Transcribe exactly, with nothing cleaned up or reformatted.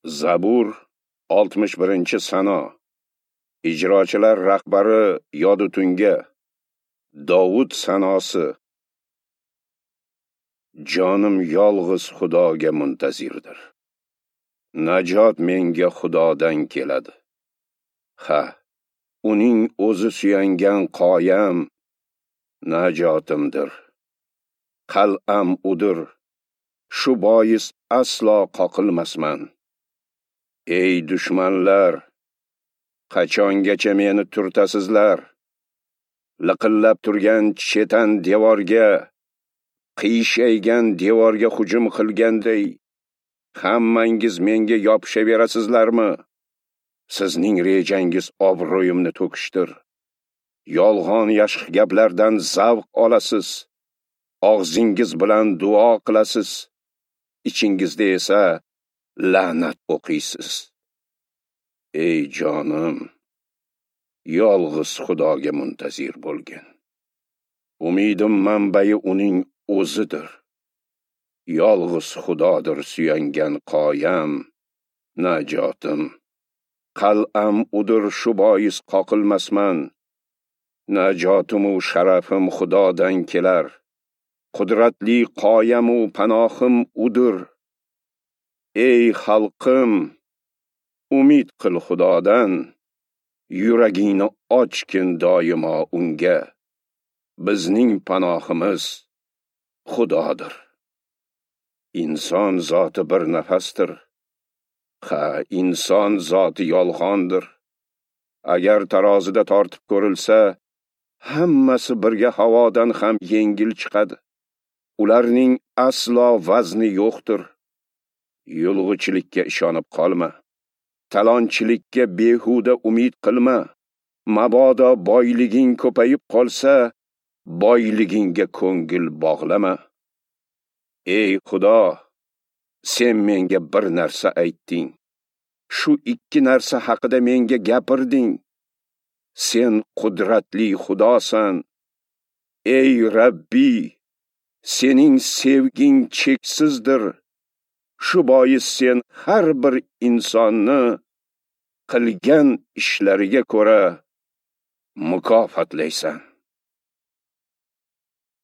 Zabur oltmish birinchi sano. Ijrochilar rahbari Yodutunga. Dovud sanosi. Jonim yolg'iz Xudoga muntazirdir. Najot menga Xudodan keladi. Ha, uning o'zi suyangan qoyam najotimdir. Qal'am udir. Shu bois aslo qoqilmasman. Ey dushmanlar, qachongacha meni turtasizlar? Liqillab turgan chetan devorga, qiyshaygan devorga hujum qilganday, hammangiz menga yopishaverasizlarmi? Sizning rejangiz obro'yimni to'kishdir. Yolg'on yashq gaplardan zavq olasiz. Og'zingiz bilan duo qilasiz. Ichingizda esa la'nat o'qiysiz. Ey jonim, yolg'iz Xudoga muntazir bo'lgin. Umidim manbai uning o'zidir. Yolg'iz Xudodir suyangan qoyam, najotim. Qal'am udir, shu bois qoqilmasman. Najotim u sharafim Xudodan kelar. Qudratli qoyam u panohim udir. Ey xalqim, umid qil Xudodan, yuragingni ochgin doimo unga. Bizning panohimiz Xudodir. Inson zoti bir nafasdir. Ha, inson zoti yolg'ondir. Agar tarozida tortib ko'rilsa, hammasi birga havodan ham yengil chiqadi. Ularning aslo vazni yo'qdir. Yulg'ichilikka ishonib qolma. Talonchilikka behuda umid qilma. Mabodo boyliging ko'payib qolsa, boyligingga ko'ngil bog'lama. Ey Xudo, sen menga bir narsa aytding. Shu ikki narsa haqida menga gapirding. Sen qudratli Xudosan. Ey Rabbi, sening sevging cheksizdir. Shu bois sen har bir insonni qilgan ishlariga ko'ra mukofotlaysan.